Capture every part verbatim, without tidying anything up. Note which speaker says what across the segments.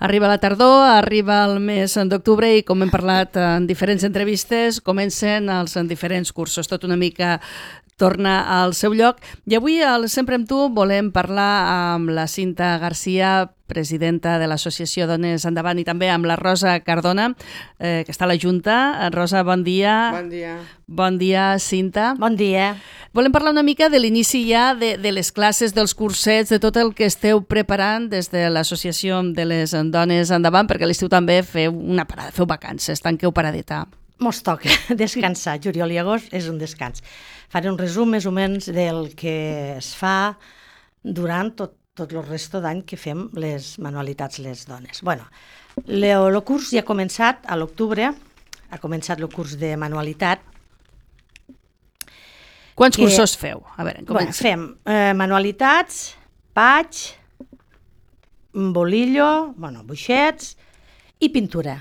Speaker 1: Arriba la tardor, arriba el mes d'octubre i, com hem parlat en diferents entrevistes, comencen els diferents cursos. Tot una mica torna al seu lloc. I avui, al Sempre amb tu, volem parlar amb la Cinta Garcia, presidenta de l'Associació Dones Endavant, i també amb la Rosa Cardona, eh, que està a la Junta. Rosa, bon dia.
Speaker 2: Bon dia.
Speaker 1: Bon dia, Cinta.
Speaker 3: Bon dia.
Speaker 1: Volem parlar una mica de l'inici ja de, de les classes, dels cursets, de tot el que esteu preparant des de l'Associació de les Dones Endavant, perquè a l'estiu també feu una parada, feu vacances, tanqueu paradeta.
Speaker 3: Mos toca descansar. Juliol i agost és un descans. Faré un resum més o menys del que es fa durant tot, tot el resto d'any que fem les manualitats les dones. Bueno, el curs ja ha començat a l'octubre, ha començat el curs de manualitat.
Speaker 1: Quants
Speaker 3: que,
Speaker 1: cursos feu? A veure,
Speaker 3: bueno, fem eh, manualitats, paig, bolillo, bueno, buixets i pintura.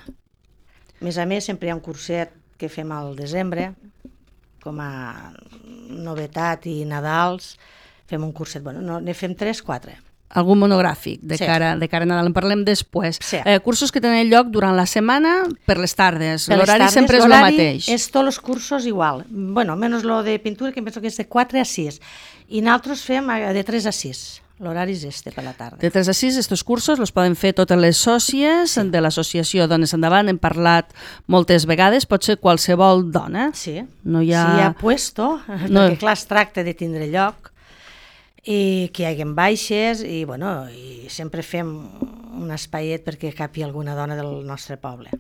Speaker 3: A més a més, sempre hi ha un curset que fem al desembre, com a novetat i Nadals, fem un curset, bueno, no, ne fem tres, quatre.
Speaker 1: Algun monogràfic de,
Speaker 3: sí.
Speaker 1: cara, de cara a Nadal, en parlem després.
Speaker 3: Sí.
Speaker 1: Eh, cursos que tenen lloc durant la setmana per les tardes, l'horari sempre és el mateix.
Speaker 3: És tots els cursos igual, bueno, menys lo de pintura, que em penso que és de quatre a sis, i nosaltres fem de tres a sis. L'horari és este per la tarda.
Speaker 1: De tres a sis, aquests cursos els poden fer totes les sòcies sí. de l'associació Dones Endavant. Hem parlat moltes vegades, pot ser qualsevol dona.
Speaker 3: Sí,
Speaker 1: no hi ha...
Speaker 3: si hi ha puesto, no. perquè clar, es tracta de tindre lloc, i que hi hagi baixes, i, bueno, i sempre fem un espaiet perquè capi alguna dona del nostre poble.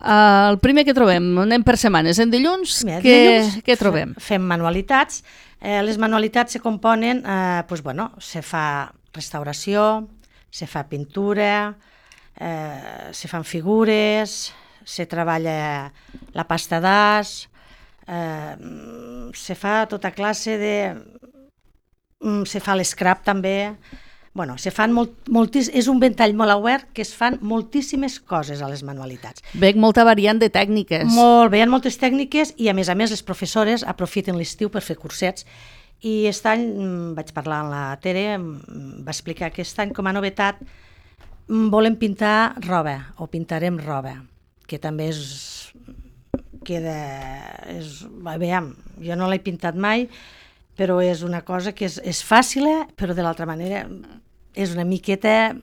Speaker 1: Uh, el primer que trobem, anem per setmanes. En dilluns,
Speaker 3: Mira,
Speaker 1: què,
Speaker 3: dilluns
Speaker 1: què trobem?
Speaker 3: Fem manualitats. Eh, les manualitats se componen, eh, pues, bueno, se fa restauració, se fa pintura, eh, se fan figures, se treballa la pasta d'as, eh, se fa tota classe de... se fa l'escrap també. Bueno, se fan molt, moltis, és un ventall molt obert que es fan moltíssimes coses a les manualitats.
Speaker 1: Veig molta variant de tècniques.
Speaker 3: Molt, veien moltes tècniques i a més a més les professores aprofiten l'estiu per fer cursets. I aquest any vaig parlar amb la Tere, va explicar que aquest any com a novetat volem pintar roba o pintarem roba, que també és... queda... És, veiem, jo no l'he pintat mai, però és una cosa que és, és fàcil, però de l'altra manera és una miqueta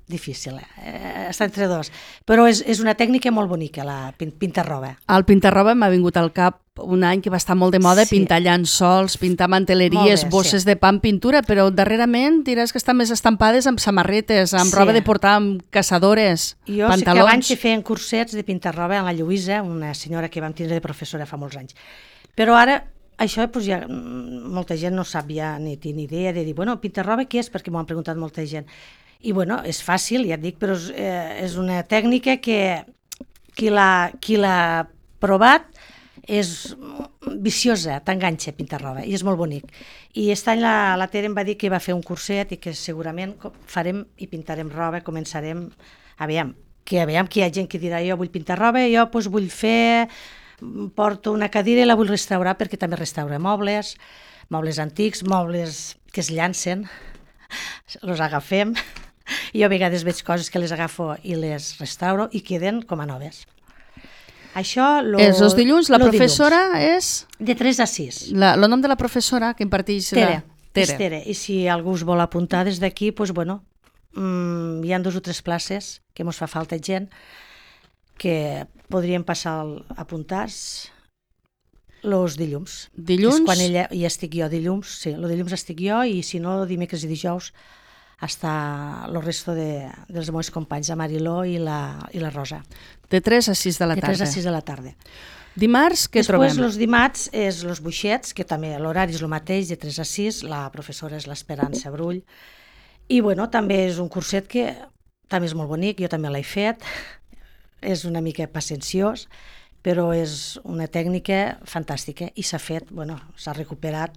Speaker 3: difícil, eh? Està entre dos. Però és, és una tècnica molt bonica, la pintar roba.
Speaker 1: El pintar roba m'ha vingut al cap un any que va estar molt de moda, sí. Pintar llençols, pintar manteleries, bé, bosses sí. de pa amb pintura, però darrerament diràs que estan més estampades amb samarretes, amb sí. roba de portar, amb caçadores,
Speaker 3: jo
Speaker 1: pantalons.
Speaker 3: Jo sé que abans se feien cursets de pintar roba amb la Lluïsa, una senyora que vam tindre de professora fa molts anys. Però ara això doncs, ja molta gent no sap ja ni té ni idea de dir, bueno, pintar roba què és? Perquè m'ho han preguntat molta gent. I bueno, és fàcil, ja et dic, però és, eh, és una tècnica que qui l'ha provat és viciosa, t'enganxa pintar roba, i és molt bonic. I aquest any la, la Tere em va dir que va fer un curset i que segurament farem i pintarem roba, començarem, aviam, que aviam que hi ha gent que dirà jo vull pintar roba, jo doncs, vull fer... porto una cadira i la vull restaurar perquè també restaura mobles, mobles antics, mobles que es llancen, els agafem. Jo a vegades veig coses que les agafo i les restauro i queden com a noves. Això... Lo,
Speaker 1: és els dilluns, la professora
Speaker 3: dilluns.
Speaker 1: és...
Speaker 3: De tres a sis.
Speaker 1: La, el nom de la professora que imparteix...
Speaker 3: Tere.
Speaker 1: La... Tere.
Speaker 3: És Tere. I si algú us vol apuntar des d'aquí, doncs bueno, mmm, hi ha dos o tres places que mos fa falta gent que podríem passar a apuntar-se els dilluns.
Speaker 1: Dilluns?
Speaker 3: És quan ella, hi estic jo, dilluns, sí, el dilluns estic jo i si no, dimecres i dijous està el resto de, dels meus companys, la Mariló i la, i la Rosa.
Speaker 1: De tres a sis de la
Speaker 3: tarda. De tres a sis de la tarda.
Speaker 1: Dimarts, què
Speaker 3: Després,
Speaker 1: trobem?
Speaker 3: Després, els dimarts, és els buixets, que també l'horari és el mateix, de tres a sis, la professora és l'Esperança Brull. I, bueno, també és un curset que també és molt bonic, jo també l'he fet. És una mica pacenciós, però és una tècnica fantàstica i s'ha fet, bueno, s'ha recuperat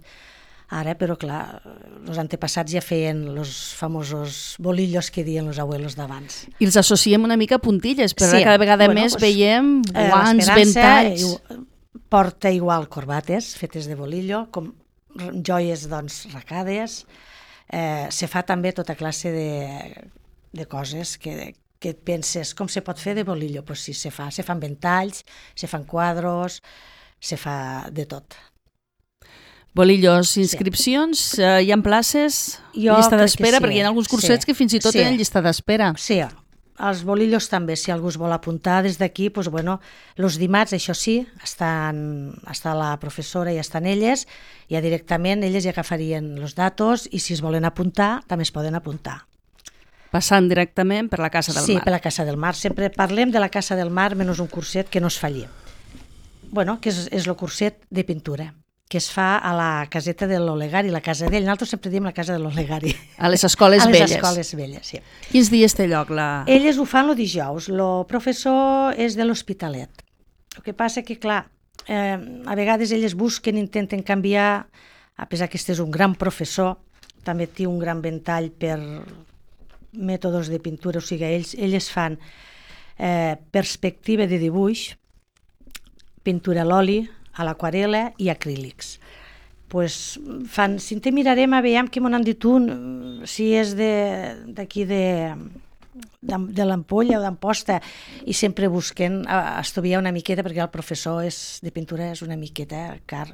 Speaker 3: ara, però clar, els antepassats ja feien els famosos bolillos que diuen els abuelos d'abans.
Speaker 1: I els associem una mica a puntilles, però
Speaker 3: sí,
Speaker 1: cada vegada
Speaker 3: bueno,
Speaker 1: més
Speaker 3: pues,
Speaker 1: veiem guants,
Speaker 3: eh,
Speaker 1: ventalls...
Speaker 3: Porta igual corbates fetes de bolillo, com joies doncs racades, eh, se fa també tota classe de de coses que, que et penses com se pot fer de bolillo. Pues sí, se fa, se fan ventalls, se fan quadros, se fa de tot.
Speaker 1: Bolillos, inscripcions, sí. uh, hi ha places,
Speaker 3: Jo
Speaker 1: llista
Speaker 3: crec
Speaker 1: d'espera,
Speaker 3: que sí.
Speaker 1: perquè hi ha alguns cursets
Speaker 3: sí.
Speaker 1: que fins i tot
Speaker 3: sí.
Speaker 1: tenen llista d'espera.
Speaker 3: Sí, els bolillos també, si algú es vol apuntar des d'aquí, doncs, bueno, els dimarts, això sí, estan, està la professora i estan elles, ja directament elles ja agafarien els datos i si es volen apuntar, també es poden apuntar.
Speaker 1: Passant directament per la Casa del
Speaker 3: Sí,
Speaker 1: Mar.
Speaker 3: per la Casa del Mar. Sempre parlem de la Casa del Mar, menys un curset que no es falli. Bueno, que és, és el curset de pintura, que es fa a la caseta de l'Olegari, la casa d'ell. Nosaltres sempre diem la casa de l'Olegari.
Speaker 1: A les escoles
Speaker 3: a les
Speaker 1: velles.
Speaker 3: escoles velles, sí.
Speaker 1: Quins dies té lloc la...
Speaker 3: Elles ho fan el dijous, el professor és de l'Hospitalet. El que passa que, clar, eh, a vegades elles busquen, intenten canviar, a pesar que este és un gran professor, també té un gran ventall per mètodes de pintura, o sigui, ells, elles fan eh, perspectiva de dibuix, pintura a l'oli, a l'aquarela i acrílics. Pues fan, si te mirarem a veure què m'han dit un, si és d'aquí de, de, de l'Ampolla o d'Amposta, i sempre busquen a, a estudiar una miqueta, perquè el professor és, de pintura és una miqueta car,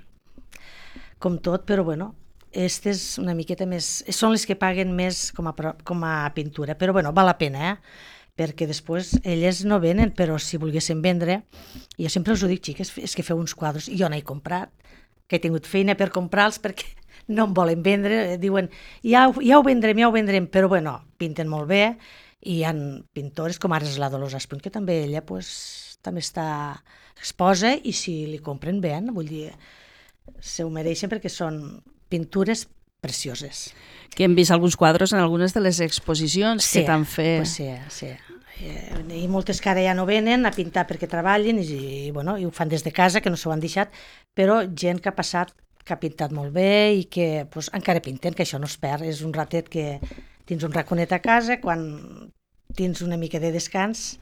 Speaker 3: com tot, però bueno, aquestes una miqueta més, són les que paguen més com a, com a pintura, però bueno, val la pena, eh? Perquè després elles no venen, però si volguessin vendre, jo sempre us ho dic, xiques, és que feu uns quadres, jo n'he comprat, que he tingut feina per comprar-los perquè no em volen vendre, diuen, ja, ja ho vendrem, ja ho vendrem, però bueno, pinten molt bé, i hi ha pintores com ara és la Dolors Espuny, que també ella pues, també està exposa, i si li compren bé, vull dir, se ho mereixen perquè són pintures precioses.
Speaker 1: Que hem vist alguns quadres en algunes de les exposicions
Speaker 3: sí,
Speaker 1: que t'han fet.
Speaker 3: Pues sí, sí. I moltes que ara ja no venen a pintar perquè treballen i, i, bueno, i ho fan des de casa, que no s'ho han deixat, però gent que ha passat, que ha pintat molt bé i que pues, encara pinten, que això no es perd. És un ratet que tens un raconet a casa, quan tens una mica de descans,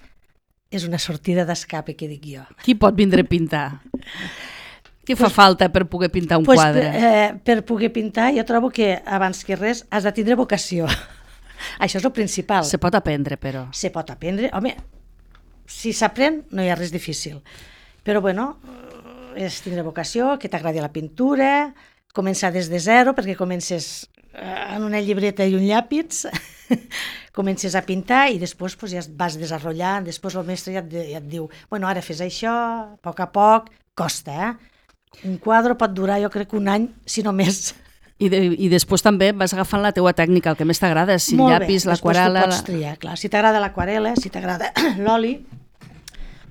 Speaker 3: és una sortida d'escape, que dic jo.
Speaker 1: Qui pot vindre a pintar? Què fa pues, falta per poder pintar un
Speaker 3: pues,
Speaker 1: quadre?
Speaker 3: Eh, per poder pintar, jo trobo que abans que res has de tindre vocació. Això és el principal.
Speaker 1: Se pot aprendre, però.
Speaker 3: Se pot aprendre. Home, si s'aprèn no hi ha res difícil. Però bueno, és tindre vocació, que t'agradi la pintura, començar des de zero, perquè comences en una llibreta i un llàpid, comences a pintar i després pues, ja vas desenvolupant, després el mestre ja et, ja et diu, bueno, ara fes això, a poc a poc, costa, eh? Un quadre pot durar, jo crec, un any, si no més.
Speaker 1: I, de, I després també vas agafant la teua tècnica, el que més t'agrada, si el llapis, l'aquarela...
Speaker 3: Després tu pots triar, clar. Si t'agrada l'aquarela, si t'agrada l'oli,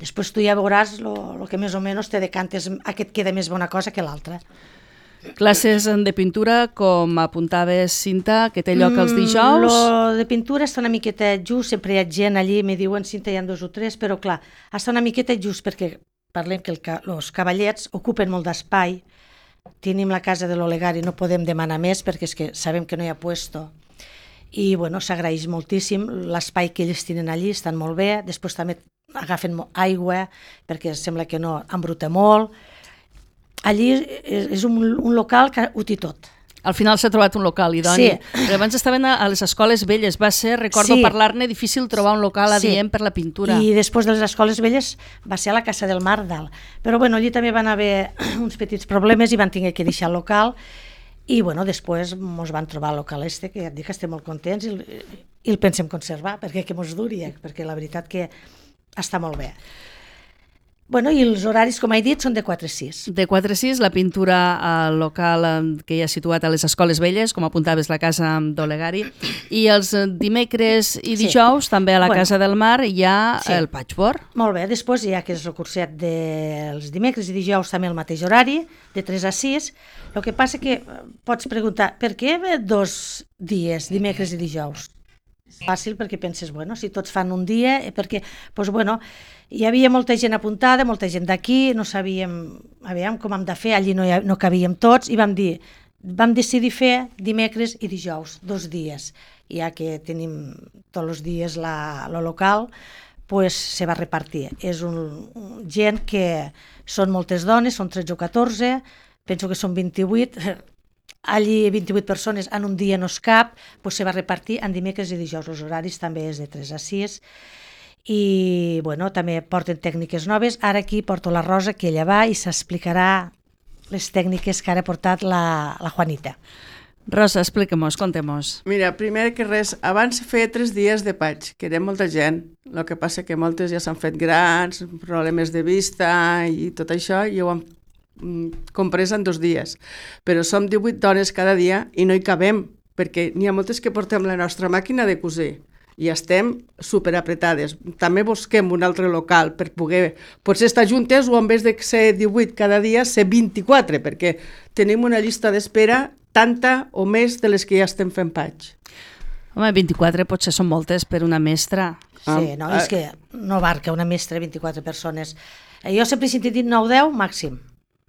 Speaker 3: després tu ja veuràs el que més o menys te decantes, aquest queda més bona cosa que l'altra.
Speaker 1: Classes de pintura, com apuntaves, Cinta, que té lloc els dijous?
Speaker 3: Mm, lo de pintura està una miqueta just, sempre hi ha gent allí, me diuen, Cinta, hi ha dos o tres, però clar, està una miqueta just perquè parlem que els cavallets ocupen molt d'espai, tenim la casa de l'Olegari, no podem demanar més perquè és que sabem que no hi ha puesto, i bueno, s'agraeix moltíssim l'espai que ells tenen allí, estan molt bé, després també agafen aigua perquè sembla que no embruta molt. Allí és un, un local que ho té tot.
Speaker 1: Al final s'ha trobat un local idoni.
Speaker 3: Sí.
Speaker 1: Però abans estaven a, a les escoles velles. Va ser, recordo
Speaker 3: sí.
Speaker 1: parlar-ne, difícil trobar un local adient sí. per la pintura.
Speaker 3: I després de les escoles velles va ser a la Casa del Mar dalt. Però bueno, allí també van haver uns petits problemes i van tenir que deixar el local. I bueno, després ens van trobar el local este, que ja et dic que estem molt contents i, i el pensem conservar, perquè que mos duri, perquè la veritat que està molt bé. Bueno, i els horaris, com he dit, són de quatre a sis.
Speaker 1: De quatre a sis, la pintura al local que hi ha situat a les escoles velles, com apuntaves, la casa d'Olegari, i els dimecres i dijous, sí. també a la bueno, Casa del Mar, hi ha sí. el patchwork.
Speaker 3: Molt bé, després hi ha que és el curset dels dimecres i dijous també el mateix horari, de tres a sis. El que passa que pots preguntar, per què dos dies, dimecres i dijous? Fàcil, perquè penses, bueno, si tots fan un dia, perquè, doncs, bueno, hi havia molta gent apuntada, molta gent d'aquí, no sabíem, aviam com hem de fer, allí no, ha, no cabíem tots, i vam dir, vam decidir fer dimecres i dijous, dos dies, ja que tenim tots els dies la, lo local, pues se va repartir. És un, un gent que són moltes dones, són tretze o catorze, penso que són vint-i-vuit, allí vint-i-vuit persones en un dia no és cap, doncs se va repartir en dimecres i dijous. Els horaris també és de tres a sis. I bueno, també porten tècniques noves. Ara aquí porto la Rosa, que ella va i s'explicarà les tècniques que ara ha portat la, la Juanita.
Speaker 1: Rosa, expliquem-nos, contem-nos.
Speaker 2: Mira, primer que res, abans feia tres dies de paig, que era molta gent. El que passa que moltes ja s'han fet grans, problemes de vista i tot això, i ho han comprès en dos dies. Però som divuit dones cada dia i no hi cabem, perquè n'hi ha moltes que portem la nostra màquina de cosir i estem superapretades. També busquem un altre local per poder potser estar juntes o en vez de ser divuit cada dia, ser vint-i-quatre, perquè tenim una llista d'espera tanta o més de les que ja estem fent paig.
Speaker 1: Home, vint-i-quatre potser són moltes per una mestra.
Speaker 3: Sí, no, és que no abarca una mestra vint-i-quatre persones. Jo sempre he sentit dir nou deu màxim.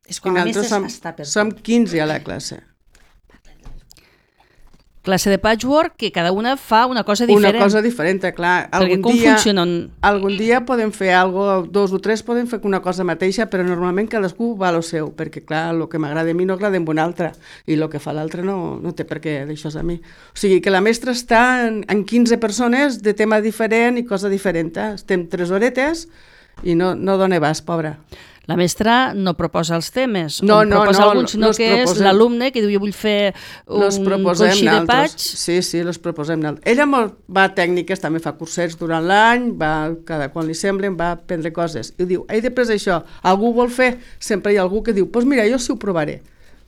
Speaker 3: És quan la mestra
Speaker 2: som,
Speaker 3: està per
Speaker 2: som quinze a la classe.
Speaker 1: Classe de patchwork que cada una fa una cosa diferent.
Speaker 2: Una cosa diferent, clar.
Speaker 1: Perquè
Speaker 2: algun
Speaker 1: com
Speaker 2: dia,
Speaker 1: funcionen?
Speaker 2: Algun dia podem fer algo, dos o tres podem fer una cosa mateixa, però normalment cadascú va a lo seu, perquè clar, el que m'agrada a mi no agrada a un altre, i el que fa l'altre no, no té per què deixar-se a mi. O sigui que la mestra està en, en quinze persones de tema diferent i cosa diferent. Eh? Estem tres horetes i no, no dona abast, pobra.
Speaker 1: La mestra no proposa els temes,
Speaker 2: no,
Speaker 1: no proposa
Speaker 2: no,
Speaker 1: alguns, sinó que
Speaker 2: proposem,
Speaker 1: és l'alumne que diu jo vull fer un coixí de paig.
Speaker 2: Sí, sí, els proposem. Ella va a tècniques, també fa cursets durant l'any, va cada quan li semblen, va aprendre coses. I diu, he després això, algú vol fer? Sempre hi ha algú que diu, doncs pues mira, jo sí ho provaré.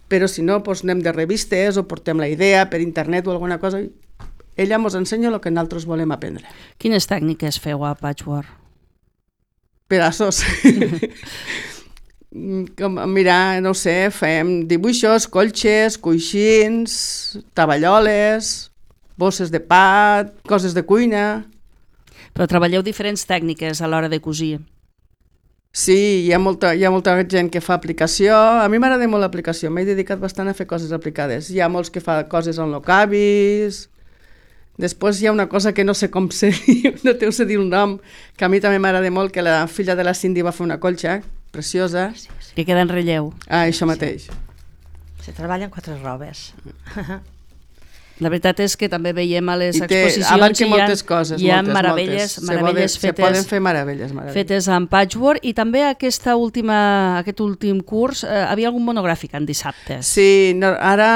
Speaker 2: Però si no, doncs anem de revistes o portem la idea per internet o alguna cosa. Ella ens ensenya el que nosaltres volem aprendre.
Speaker 1: Quines tècniques feu a patchwork?
Speaker 2: Pedaços. Com, mira, no sé, fem dibuixos, colxes, coixins, taballoles, bosses de pa, coses de cuina.
Speaker 1: Però treballeu diferents tècniques a l'hora de cosir.
Speaker 2: Sí, hi ha molta, hi ha molta gent que fa aplicació. A mi m'agrada molt l'aplicació, m'he dedicat bastant a fer coses aplicades. Hi ha molts que fa coses en locavis. Després hi ha una cosa que no sé com se diu, no te ho sé dir el nom, que a mi també m'agrada molt, que la filla de la Cindy va fer una colxa preciosa.
Speaker 1: Que queda en relleu.
Speaker 2: Ah, això mateix.
Speaker 3: Se treballen quatre robes.
Speaker 1: La veritat és que també veiem a les
Speaker 2: I té,
Speaker 1: exposicions
Speaker 2: i moltes coses,
Speaker 1: hi ha
Speaker 2: moltes,
Speaker 1: meravelles,
Speaker 2: moltes.
Speaker 1: meravelles
Speaker 2: Se,
Speaker 1: fetes,
Speaker 2: se poden fer meravelles, meravelles.
Speaker 1: fetes en patchwork, i també aquesta última, aquest últim curs eh, havia algun monogràfic en dissabtes.
Speaker 2: Sí, no, ara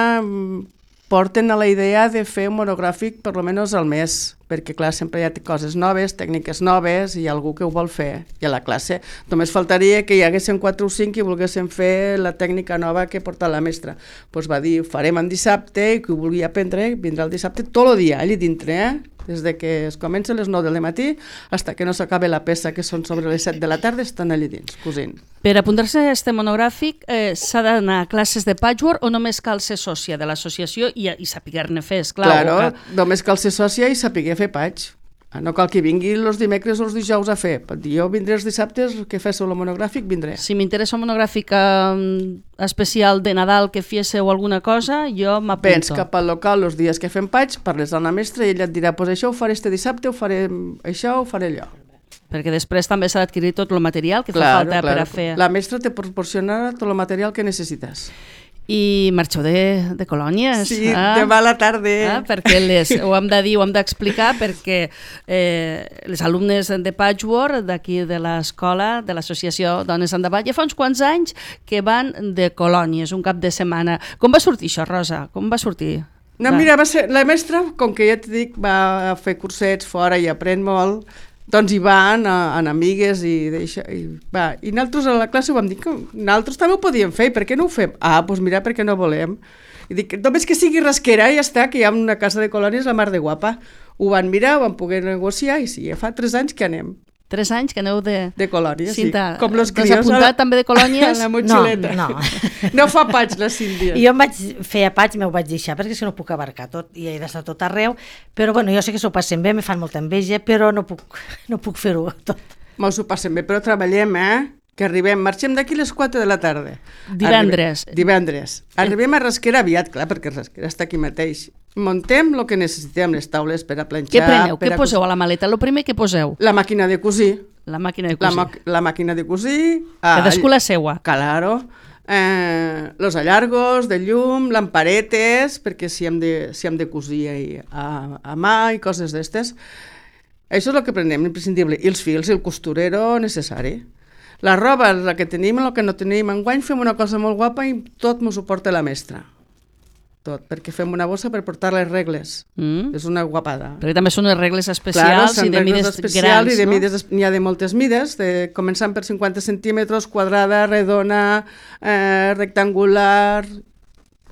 Speaker 2: porten a la idea de fer un monogràfic per almenys al mes, perquè clar, sempre hi ha coses noves, tècniques noves, i hi ha algú que ho vol fer, i a la classe. Només faltaria que hi haguessin quatre o cinc i volguessin fer la tècnica nova que porta la mestra. Doncs pues va dir, ho farem en dissabte, i qui ho vulgui aprendre vindrà el dissabte tot el dia, allà dintre, eh? Des de que es comença a les nou del matí fins que no s'acabe la peça, que són sobre les set de la tarda, estan allà dins, cosint.
Speaker 1: Per apuntar-se a aquest monogràfic eh, s'ha d'anar a classes de patchwork o només cal ser sòcia de l'associació i, i saber-ne fer, esclar?
Speaker 2: Claro,
Speaker 1: que...
Speaker 2: només cal ser sòcia i saber fer paig. No cal que vingui els dimecres o els dijous a fer. Jo vindré els dissabtes, que féssiu el monogràfic, vindré.
Speaker 1: Si m'interessa un monogràfic eh, especial de Nadal que féssiu alguna cosa, jo m'apunto.
Speaker 2: Vens cap al local els dies que fem paig, parles amb la mestra i ella et dirà, pues això ho faré este dissabte, ho faré això, ho faré allò.
Speaker 1: Perquè després també s'ha d'adquirir tot el material que fa falta per a fer.
Speaker 2: La mestra te proporcionarà tot el material que necessites.
Speaker 1: I marxeu de, de colònies.
Speaker 2: Sí,
Speaker 1: ah?
Speaker 2: demà a la tarda.
Speaker 1: Ah, perquè les, ho hem de dir, ho hem d'explicar, perquè eh, les alumnes de patchwork d'aquí de l'escola, de l'associació Dones Endavant, ja fa uns quants anys que van de colònies, un cap de setmana. Com va sortir això, Rosa? Com va sortir?
Speaker 2: No,
Speaker 1: va.
Speaker 2: mira, va ser, la mestra, com que ja t'he dit, va fer cursets fora i aprèn molt, doncs hi van en amigues i, deixa, i va. I nosaltres a la classe ho vam dir que nosaltres també ho podíem fer, per què no ho fem? Ah, doncs mira, perquè no volem. I dic, només que sigui rasquera i ja està, que hi ha una casa de colònies la mar de guapa. Ho van mirar, ho van poder negociar i sí, ja fa tres anys que anem.
Speaker 1: Tres anys que aneu de...
Speaker 2: De colònies,
Speaker 1: Cinta,
Speaker 2: sí. Com los
Speaker 1: t'has
Speaker 2: crios.
Speaker 1: apuntat
Speaker 2: la...
Speaker 1: també de colònies?
Speaker 2: La motxileta.
Speaker 3: No, no.
Speaker 2: No fa paig, la Sílvia.
Speaker 3: Jo em vaig fer a paig, m'ho vaig deixar, perquè si no puc abarcar tot, i he d'estar tot arreu, però bueno, jo sé que s'ho passen bé, me fan molta enveja, però no puc, no puc fer-ho tot.
Speaker 2: Mos ho passem bé, però treballem, eh? Que arribem, marxem d'aquí a les quatre de la tarda.
Speaker 1: Divendres.
Speaker 2: Arribem, divendres. Arribem a Rasquera aviat, clar, perquè Rasquera està aquí mateix. Muntem el que necessitem, les taules per a planxar...
Speaker 1: Què preneu?
Speaker 2: Per
Speaker 1: Què
Speaker 2: a
Speaker 1: poseu a la maleta? El primer que poseu?
Speaker 2: La màquina de cosir.
Speaker 1: La màquina de
Speaker 2: La,
Speaker 1: cosir.
Speaker 2: ma la màquina de cosir...
Speaker 1: Cadascú la seua.
Speaker 2: Claro. eh, los allargos de llum, lamparetes, perquè si hem de, si hem de cosir a, a mà i coses d'estes. Això és el que prenem, imprescindible. I els fils, i el costurero necessari. La roba, la que tenim, el que no tenim. Enguany fem una cosa molt guapa i tot m'ho suporta la mestra. Tot, perquè fem una bossa per portar les regles. Mm. És una guapada.
Speaker 1: Perquè també són les regles especials
Speaker 2: claro,
Speaker 1: i de mides grans,
Speaker 2: i de
Speaker 1: no?
Speaker 2: mides, n'hi ha de moltes mides, de, començant per cinquanta centímetres, quadrada, redona, eh, rectangular...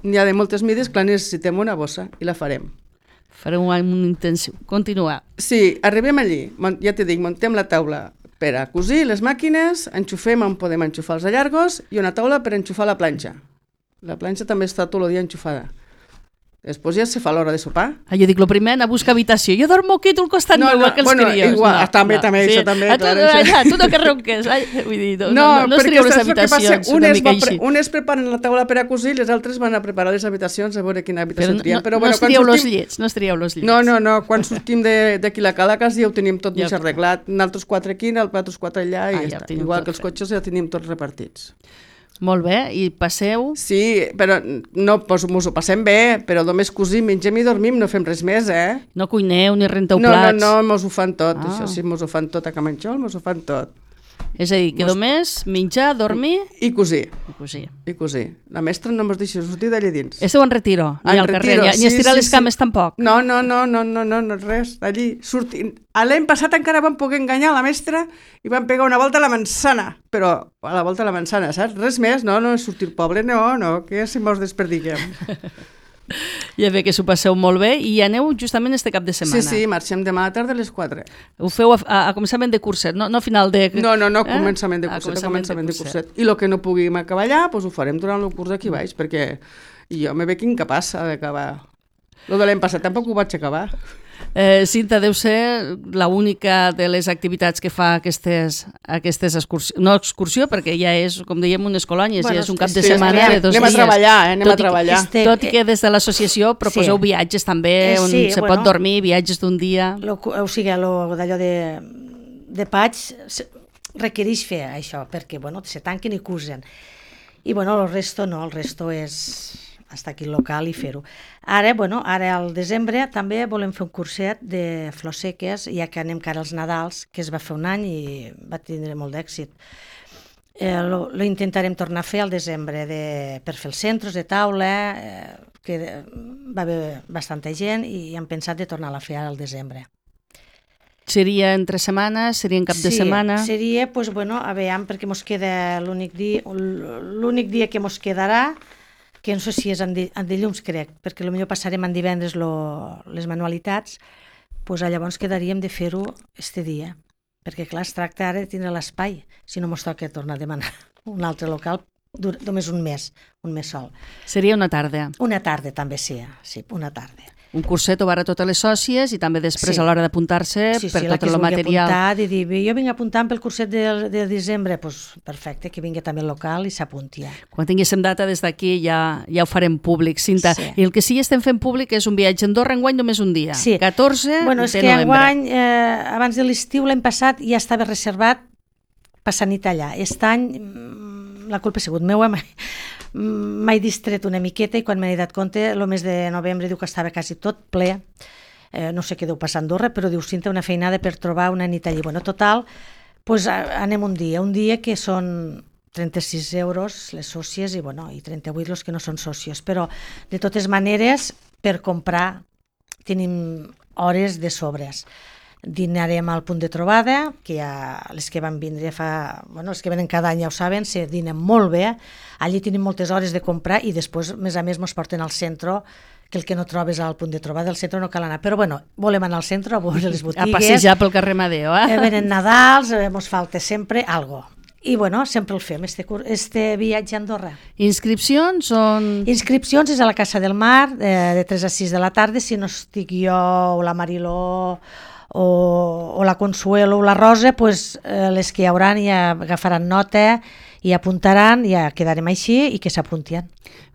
Speaker 2: N'hi ha de moltes mides, clar, necessitem una bossa i la farem.
Speaker 1: Farem un intensiu. Continuar.
Speaker 2: Sí, arribem allí, ja t'he dit, muntem la taula per a cosir les màquines, enxufem on podem enxufar els allargos i una taula per enxufar la planxa. La planxa també està tot el dia enxufada. Després ja se fa l'hora de sopar.
Speaker 1: Ah, jo dic, lo primer, anar a buscar habitació. Jo dormo aquí, tu al costat
Speaker 2: no,
Speaker 1: meu,
Speaker 2: no,
Speaker 1: igual que els
Speaker 2: bueno,
Speaker 1: crios.
Speaker 2: Igual,
Speaker 1: no,
Speaker 2: també,
Speaker 1: no,
Speaker 2: també,
Speaker 1: sí.
Speaker 2: això també.
Speaker 1: A tu,
Speaker 2: clar,
Speaker 1: allà, tu no que ronques. Ai, vull dir, no, no, no, no es trieu les habitacions, una
Speaker 2: unes
Speaker 1: mica
Speaker 2: pre
Speaker 1: així.
Speaker 2: Unes preparen la taula per a cosir, les altres van a preparar les habitacions a veure quina habitació
Speaker 1: però
Speaker 2: triem.
Speaker 1: No,
Speaker 2: però,
Speaker 1: no
Speaker 2: bueno,
Speaker 1: es trieu
Speaker 2: sortim...
Speaker 1: los llits, no es trieu los llits.
Speaker 2: No, no, no, quan sortim d'aquí la Calacas ja ho tenim tot
Speaker 1: ja
Speaker 2: mig arreglat. Nosaltres quatre aquí, nosaltres quatre allà i
Speaker 1: ah,
Speaker 2: ja
Speaker 1: ja
Speaker 2: està. Igual que els cotxes ja tenim tots repartits.
Speaker 1: Molt bé, i passeu?
Speaker 2: Sí, però no, pues, mos ho passem bé, però només cosim, mengem i dormim, no fem res més, eh?
Speaker 1: No cuineu ni renteu
Speaker 2: no,
Speaker 1: plats?
Speaker 2: No, no, mos ho fan tot,
Speaker 1: ah.
Speaker 2: això sí, mos ho fan tot a Camanxol, mos ho fan tot.
Speaker 1: És a dir, que mos... només menjar, dormir...
Speaker 2: I cosir.
Speaker 1: I cosir.
Speaker 2: I cosir. La mestra no mos deixa sortir d'allà dins.
Speaker 1: Esteu en retiro, ni al carrer, ni,
Speaker 2: sí,
Speaker 1: ni estirar
Speaker 2: sí,
Speaker 1: les cames
Speaker 2: sí.
Speaker 1: tampoc?
Speaker 2: No, no, no, no, no, no, no res, allí sortint. L'any passat encara vam poder enganyar la mestra i vam pegar una volta a la manzana, però a la volta a la manzana, saps? Res més, no, no és sortir poble, no, no, que si mos desperdiguem.
Speaker 1: Ja ve que s'ho passeu molt bé i aneu justament este cap de setmana.
Speaker 2: Sí, sí, marxem demà a la tarda a les quatre.
Speaker 1: Ho feu a, a, a començament de curset, no, no a final de...
Speaker 2: No, no, no,
Speaker 1: eh?
Speaker 2: començament de curset, a començament, a començament de, curset. de curset. I el que no puguem acabar allà, doncs ho farem durant el curs aquí baix, perquè jo me veig incapaç d'acabar. Lo de l'any passat tampoc ho vaig acabar.
Speaker 1: Eh, Cinta, deu ser l'única de les activitats que fa aquestes, aquestes excursions, no excursió, perquè ja és, com dèiem, unes colònies, bueno, ja és un cap de
Speaker 2: sí,
Speaker 1: setmana
Speaker 2: sí,
Speaker 1: de dos
Speaker 2: anem
Speaker 1: dies.
Speaker 2: A treballar, eh? anem
Speaker 1: tot
Speaker 2: a treballar.
Speaker 1: I, tot i que des de l'associació proposeu sí. viatges també, on
Speaker 3: sí,
Speaker 1: se
Speaker 3: bueno,
Speaker 1: pot dormir, viatges d'un dia...
Speaker 3: Lo, o sigui, lo d'allò de, de Paig requereix fer això, perquè bueno, se tanquen i cusen. I bueno, el resto no, el resto és... estar aquí al local i fer-ho. Ara, bueno, ara al desembre també volem fer un curset de flors seques, ja que anem cara als Nadals, que es va fer un any i va tindre molt d'èxit. Eh, lo, lo intentarem tornar a fer al desembre de, per fer els centres de taula, eh, que va haver bastanta gent i hem pensat de tornar a fer al desembre.
Speaker 1: Seria entre setmanes? Seria en cap
Speaker 3: sí,
Speaker 1: de setmana?
Speaker 3: Sí, seria, pues, bueno, a veure, perquè mos queda l'únic dia, l'únic dia que mos quedarà, que no sé si és en, di, en dilluns, crec, perquè potser passarem en divendres lo, les manualitats, doncs llavors quedaríem de fer-ho este dia, perquè clar, es tracta ara de tindre l'espai, si no mos toca tornar a demanar un altre local, només un mes, un mes sol.
Speaker 1: Seria una tarda?
Speaker 3: Una tarda també sí, sí, una tarda.
Speaker 1: Un curset obert a totes les sòcies i també després sí. a l'hora d'apuntar-se
Speaker 3: sí,
Speaker 1: per
Speaker 3: sí,
Speaker 1: tot el material.
Speaker 3: Apuntar, i dir, jo vinc apuntant pel curset de, de desembre, doncs perfecte, que vingui també al local i s'apunti ja.
Speaker 1: Quan tinguéssim data des d'aquí ja, ja ho farem públic, Cinta.
Speaker 3: Sí.
Speaker 1: I el que sí estem fent públic és un viatge a Andorra, enguany només un dia,
Speaker 3: sí.
Speaker 1: catorze
Speaker 3: bueno, és
Speaker 1: de
Speaker 3: que
Speaker 1: novembre.
Speaker 3: Enguany, eh, abans de l'estiu, l'any passat, ja estava reservat passar nit allà. Aquest any, la culpa ha sigut meua, m'he distret una miqueta i quan m'he dat compte, el mes de novembre diu que estava quasi tot ple, eh, no sé què deu passar a Andorra, però diu, Cinta, una feinada per trobar una nit allí. Bueno, total, pues, anem un dia, un dia que són trenta-sis euros les sòcies i, bueno, i trenta-vuit els que no són sòcies, però de totes maneres, per comprar tenim hores de sobres. Dinarem al punt de trobada, que ja les que van vindre fa... Bueno, els que venen cada any ja ho saben, se dinen molt bé. Allí tenim moltes hores de comprar i després, més a més, ens porten al centre, que el que no trobes al punt de trobada del centre no cal anar. Però bueno, volem anar al centre, a veure les botigues.
Speaker 1: A passejar pel carrer Madeo, eh?
Speaker 3: eh venen Nadals, eh, ens falta sempre algo. I bueno, sempre el fem, este, este viatge a Andorra.
Speaker 1: Inscripcions on...
Speaker 3: Inscripcions és a la Casa del Mar, eh, de tres a sis de la tarda, si no estic jo o la Mariló o, o la Consuelo o la Rosa, pues, eh, les que hi hauran ja agafaran nota i apuntaran, ja quedarem així i que s'apuntien.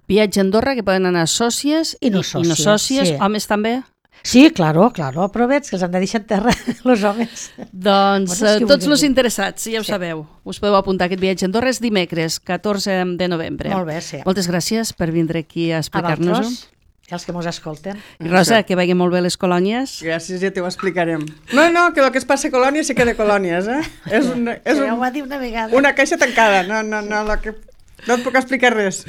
Speaker 1: Viatge a Andorra, que poden anar sòcies
Speaker 3: i no sòcies,
Speaker 1: i no sòcies
Speaker 3: sí.
Speaker 1: Homes també?
Speaker 3: Sí, claro, claro, però veig que els han de deixar en terra els homes.
Speaker 1: Doncs
Speaker 3: Bueno, és que
Speaker 1: eh, tots
Speaker 3: vulguin
Speaker 1: els
Speaker 3: dir.
Speaker 1: interessats, ja ho
Speaker 3: Sí.
Speaker 1: sabeu, us podeu apuntar a aquest viatge a Andorra és dimecres, catorze de novembre.
Speaker 3: Molt bé, sí.
Speaker 1: Moltes gràcies per vindre aquí a
Speaker 3: A
Speaker 1: explicar-nos-ho.
Speaker 3: vosaltres, i els que mos escolten.
Speaker 1: I Rosa, que vagin molt bé les colònies.
Speaker 2: Gràcies, ja t'ho explicarem. No, no, que el que es passa a colònies se queda a colònies, eh? És, un, és
Speaker 3: Ja ho
Speaker 2: un,
Speaker 3: va dir una vegada.
Speaker 2: una caixa tancada, no, no, no, lo que, no et puc explicar res.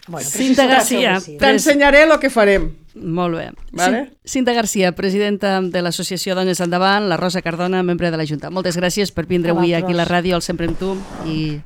Speaker 3: Bueno, però
Speaker 1: Cinta
Speaker 3: si
Speaker 1: Garcia.
Speaker 3: s'ho tracta,
Speaker 2: T'ensenyaré el que farem.
Speaker 1: Molt bé.
Speaker 2: Vale.
Speaker 1: Cin- Cinta Garcia, presidenta de l'Associació Dones Endavant, la Rosa Cardona, membre de la Junta. Moltes gràcies per vindre
Speaker 3: A
Speaker 1: avui aquí a la
Speaker 3: vosaltres.
Speaker 1: ràdio, al Sempre amb tu, i